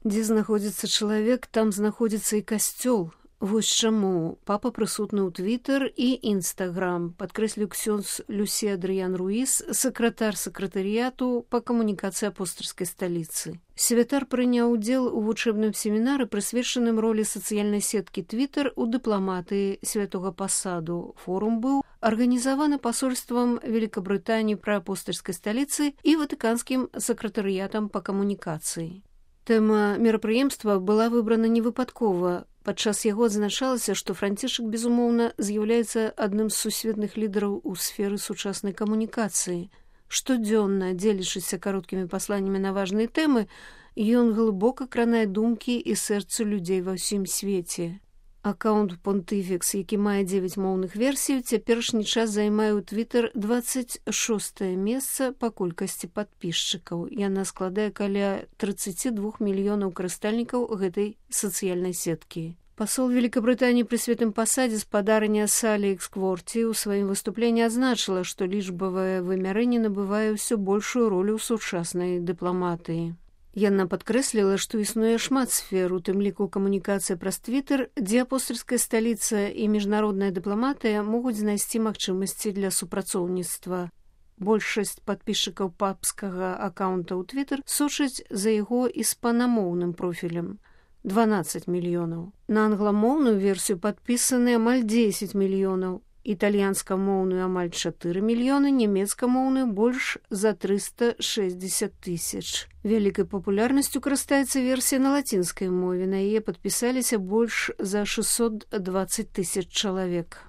Дзе знаходзіцца чалавек, там знаходзіцца і касцёл. Вось чаму папа прысутны ў Твиттер і Інстаграм, падкрэсліў ксёндз Люсі Адрыян Руіс, сакратар сакратарыяту па камунікацыі апостальскай сталіцы. Святар прыняў удзел у вучэбным семінары, прысвечаным ролі сацыяльнай сеткі Твиттер у дыпламатыі святога пасаду. Форум быў арганізаваны пасольствам Великабрытаніі пры апостальскай сталіцы і ватыканскім сакратарыятам па камунікацыі. Тэма мерапрыемства была выбрана невыпадкова. Падчас яго адзначалася, што Францішак, безумоўна, з'яўляецца адным з сусветных лідараў у сферы сучаснай камунікацыі. Штодзённа, дзелячыся кароткімі пасланнямі на важныя тэмы, ён глыбока кранае думкі і сэрцы людзей ва ўсім свеце. Аккаунт Понтыфікс, які мае 9 моўных версій, цяперашні час займае ў Твиттер 26е месца па колькасці падпісчыкаў. Яна складае каля 32 мільёнаў карыстальнікаў гэтай сацыяльнай сеткі. Пасол Великабрытаніі пры святым пасадзе спадарня Салі Экскворці ў сваім выступленні адзначыла, што лічбавае вымярэнне набывае ўсё большую ролю ў сучаснай дыпламатыі. Яна падкрэсліла, што існуе шмат сфер, у тым ліку камунікацыя праз Твиттер, дзе апостальская сталіца і міжнародная дыпламатыя могуць знайсці магчымасці для супрацоўніцтва. Большасць падпісчыкаў папскага аккаунта ў Твиттер сочаць за яго іспанамоўным профілем – 12 мільёнаў. На англамоўную версію падпісаны амаль 10 мільёнаў, італьянскамоўную амаль 4 мільёны, нямецкамоўную больш за 360 тысяч. Вялікай папулярнасцю карыстаецца версія на лацінскай мове, на яе падпісаліся больш за 620 тысяч чалавек.